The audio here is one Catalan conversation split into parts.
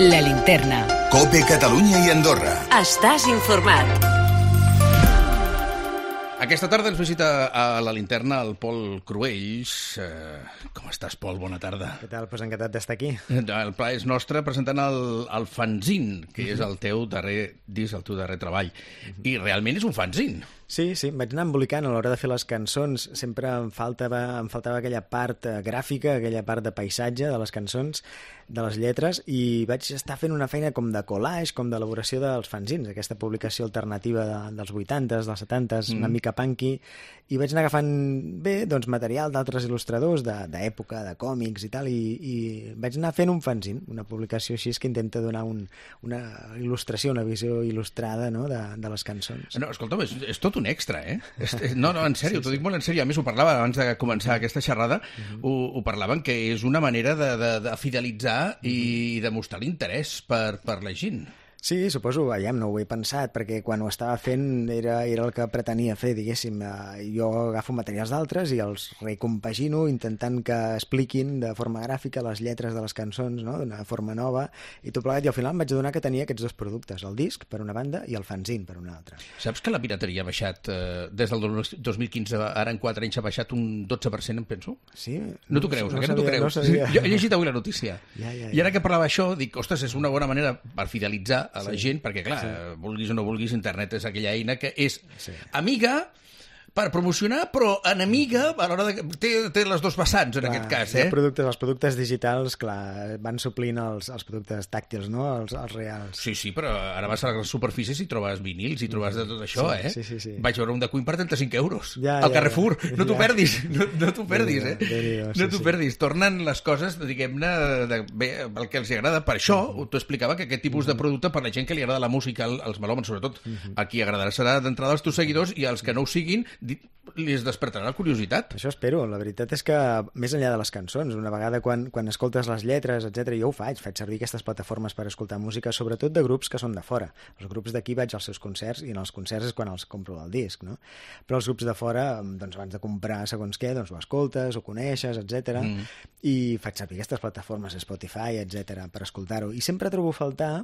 La Linterna. COPE Catalunya i Andorra. Estàs informat. Aquesta tarda ens visita a La Linterna el Pol Cruells. Com estàs, Pol? Bona tarda. Què tal? Pues encantat d'estar aquí. El pla és nostre presentant el fanzine, que és el teu darrer disc, el teu darrer treball. I realment és un fanzine. Sí, em vaig anar embolicant a l'hora de fer les cançons. Sempre em faltava aquella part gràfica, aquella part de paisatge de les cançons, de les lletres, i vaig estar fent una feina com de collage, com d'elaboració dels fanzines, aquesta publicació alternativa dels 80s, dels 70s, una mica punky, i vaig anar agafant doncs, material d'altres il·lustradors d'època, de còmics i tal, i vaig anar fent un fanzine, una publicació així que intenta donar una il·lustració, una visió il·lustrada, no?, de les cançons. No, escolta'm, és tot un extra, eh? No, en sèrio, t'ho dic molt en sèrio. A més, ho parlava abans de començar aquesta xerrada, ho parlaven que és una manera de fidelitzar i de mostrar l'interès per la gent. Sí, suposo, no ho he pensat, perquè quan ho estava fent era el que pretenia fer, diguéssim. Jo agafo materials d'altres i els recompagino intentant que expliquin de forma gràfica les lletres de les cançons, no?, d'una forma nova, i tot plegat, i al final em vaig adonar que tenia aquests dos productes, el disc per una banda i el fanzine per una altra. Saps que la pirateria ha baixat des del 2015, ara en 4 anys ha baixat un 12%, em penso? Sí? No t'ho creus, no t'ho creus? Jo he llegit avui la notícia. I ara que parlava això, dic, ostres, és una bona manera per fidelitzar a la gent, perquè, clar, vulguis o no vulguis, internet és aquella eina que és amiga per promocionar, però enemiga a l'hora de... Té les dos vessants, en aquest cas, eh? Els productes digitals, clar, van suplint els productes tàctils, no?, els reals. Sí, però ara vas a les superfícies i trobes vinils i trobes de tot això, eh? Sí. Vaig veure un de Queen per 35 euros. Al Carrefour. No t'ho perdis, no t'ho perdis, eh? No t'ho perdis. Tornen les coses, diguem-ne, el que els agrada. Per això t'ho explicava, que aquest tipus de producte, per la gent que li agrada la música, els melòmans, sobretot, a qui agradarà serà d'entrada els teus seguidors, i els que no ho siguin, li es despertarà la curiositat. Això espero. La veritat és que, més enllà de les cançons, una vegada quan escoltes les lletres, etc., jo ho faig servir aquestes plataformes per escoltar música, sobretot de grups que són de fora. Els grups d'aquí vaig als seus concerts, i en els concerts és quan els compro el disc, no? Però els grups de fora, doncs abans de comprar segons què, doncs ho escoltes, ho coneixes, etc. I faig servir aquestes plataformes, Spotify, etc., per escoltar-ho. I sempre trobo a faltar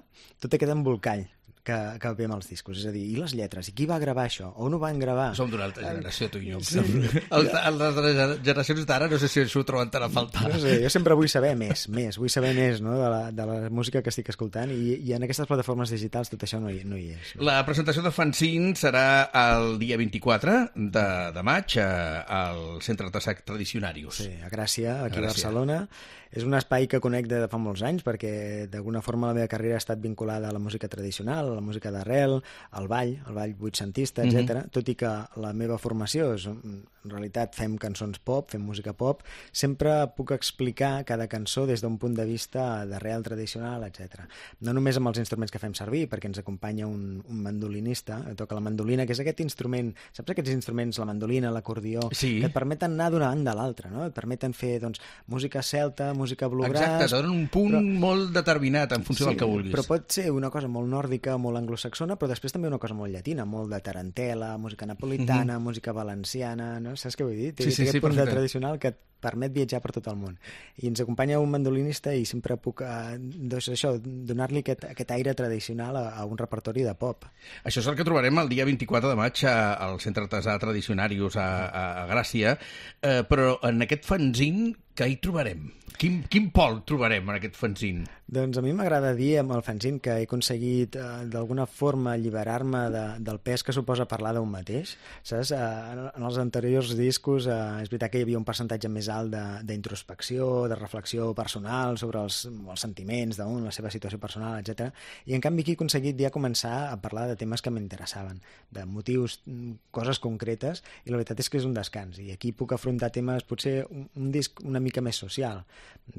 tot aquest embolcall que ve amb els discos, és a dir, i les lletres, i qui va gravar això, on ho van gravar? Som d'una altra generació, tu i jo. Sí. Les generacions d'ara no sé si això ho troben tan a faltar. No sé, jo sempre vull saber més, vull saber més, no?, de la música que estic escoltant, i en aquestes plataformes digitals tot això no hi és. La presentació de fanzine serà el dia 24 de maig al Centre Artesà Tradicionarius. Sí, a Gràcia, aquí a Barcelona. És un espai que conec de fa molts anys, perquè d'alguna forma la meva carrera ha estat vinculada a la música tradicional, a la música d'arrel, al ball vuitcentista, etc. Tot i que la meva formació és, en realitat, fem cançons pop, fem música pop, sempre puc explicar cada cançó des d'un punt de vista d'arrel tradicional, etc. No només amb els instruments que fem servir, perquè ens acompanya un mandolinista, que toca la mandolina, que és aquest instrument, saps aquests instruments, la mandolina, l'acordió, que et permeten anar d'una banda a l'altra, no? Et permeten fer, doncs, música celta, música bluegrass... Exacte, te donen un punt molt determinat en funció del que vulguis. Però pot ser una cosa molt nòrdica, molt anglosaxona, però després també una cosa molt llatina, molt de tarantela, música napolitana, música valenciana, no? Saps què vull dir? Té aquest punt de tradicional que et permet viatjar per tot el món. I ens acompanya un mandolinista i sempre puc donar-li aquest aire tradicional a un repertori de pop. Això és el que trobarem el dia 24 de maig al Centre Artesà Tradicionarius a Gràcia, però en aquest fanzine què hi trobarem? Quin Pol trobarem en aquest fanzine? Doncs a mi m'agrada dir amb el fanzine que he aconseguit d'alguna forma alliberar-me del pes que suposa parlar d'un mateix, saps? En els anteriors discos és veritat que hi havia un percentatge més alt d'introspecció, de reflexió personal sobre els sentiments d'un, la seva situació personal, etc. I en canvi aquí he aconseguit ja començar a parlar de temes que m'interessaven, de motius, coses concretes, i la veritat és que és un descans. I aquí puc afrontar temes, potser un disc una mica més social.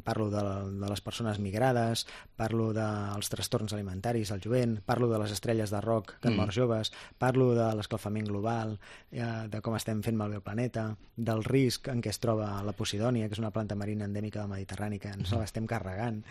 Parlo de les persones migrades, parlo dels trastorns alimentaris al jovent, parlo de les estrelles de rock que han mort joves, parlo de l'escalfament global, de com estem fent malbé el planeta, del risc en què es troba la Posidònia, que és una planta marina endèmica del Mediterrani, que ens l'estem carregant.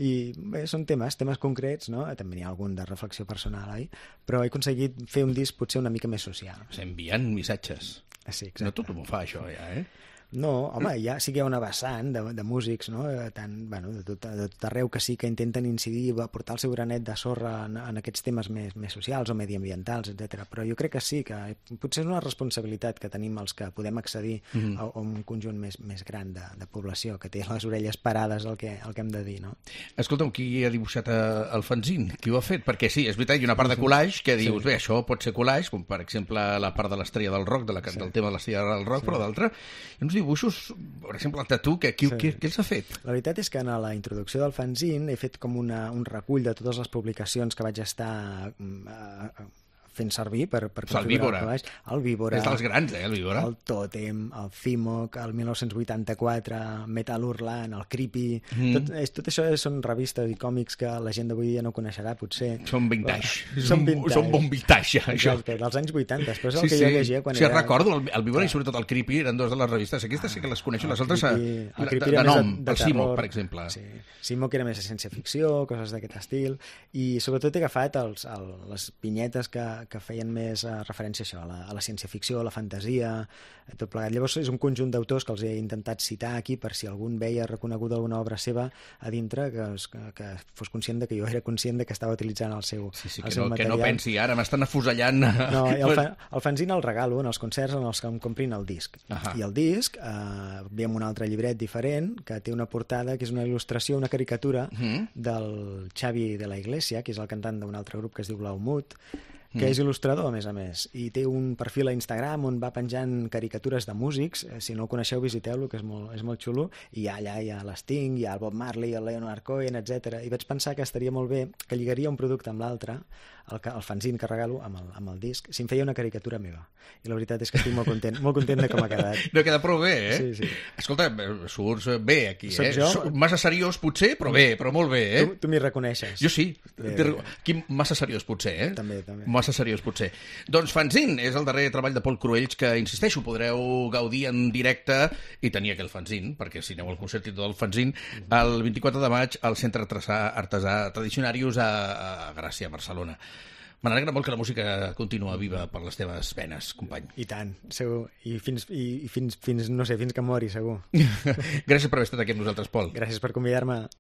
I bé, són temes concrets, no? També n'hi ha algun de reflexió personal, però he aconseguit fer un disc potser una mica més social. Enviant missatges. Sí, exacte. No tothom ho fa, això, ja, eh? No, home, sí que hi ha una vessant de músics, no? De tot arreu que sí que intenten incidir, aportar el seu granet de sorra en aquests temes més socials o mediambientals, etc. Però jo crec que sí, que potser és una responsabilitat que tenim els que podem accedir a un conjunt més gran de població, que té les orelles parades el que hem de dir, no? Escolta'm, qui ha dibuixat el fanzine? Qui ho ha fet? Perquè sí, és veritat, hi ha una part de collage que dius, bé, això pot ser collage, com per exemple la part de l'estrella del rock, del tema de l'estrella del rock, però d'altra, hi ha uns dibuixos, per exemple, el tatu, qui els ha fet? La veritat és que en la introducció del fanzine he fet com un recull de totes les publicacions que vaig estar fent servir per configurar el Víbora. És dels grans, el Víbora. El Tòtem, el Cimoc, el 1984, Metal Hurlant, el Creepy... Tot això són revistes i còmics que la gent d'avui dia no coneixerà, potser. Són vintage. Són bon vintage, això. Exacte, dels anys 80. Després el que jo llegia quan era... Sí, recordo, el Víbora i sobretot el Creepy eren dos de les revistes. Aquestes sí que les coneixo, les altres de nom, el Cimoc, per exemple. Cimoc era més de ciència-ficció, coses d'aquest estil, i sobretot he agafat les vinyetes que feien més referència a això, a la ciència-ficció, a la fantasia, tot plegat. Llavors és un conjunt d'autors que els he intentat citar aquí per si algun veia reconeguda alguna obra seva a dintre, que fos conscient que jo era conscient que estava utilitzant el seu material. Que no pensi, ara m'estan afusellant. No, el fanzine el regalo en els concerts en els que em comprin el disc. I el disc ve amb un altre llibret diferent que té una portada que és una il·lustració, una caricatura del Xavi de la Iglesia, que és el cantant d'un altre grup que es diu Blaumut, que és il·lustrador, a més, i té un perfil a Instagram on va penjant caricatures de músics. Si no el coneixeu, visiteu-lo, que és molt xulo, i allà hi ha l'Sting, hi ha el Bob Marley, el Leonard Cohen, etc. I vaig pensar que estaria molt bé que lligaria un producte amb l'altre, el fanzine que regalo amb el disc, si em feia una caricatura meva. I la veritat és que estic molt content de com ha quedat. No, queda prou bé, eh? Sí. Escolta, surts bé aquí, Soc jo? Massa seriós, potser, però bé, però molt bé, eh? Tu m'hi reconeixes. Jo sí. Aquí massa seriós, potser, eh? També. Massa seriós, potser. Doncs fanzine és el darrer treball de Pol Cruells que, insisteixo, podreu gaudir en directe i tenir aquell fanzine, perquè si aneu al concert i tot el fanzine, el 24 de maig al Centre Artesà Tradicionarius a Gràcia, a Barcelona. Me n'alegra molt que la música continua viva per les teves venes, company. I tant, segur. I fins no sé, fins que mori, segur. Gràcies per haver estat aquí amb nosaltres, Pol. Gràcies per convidar-me.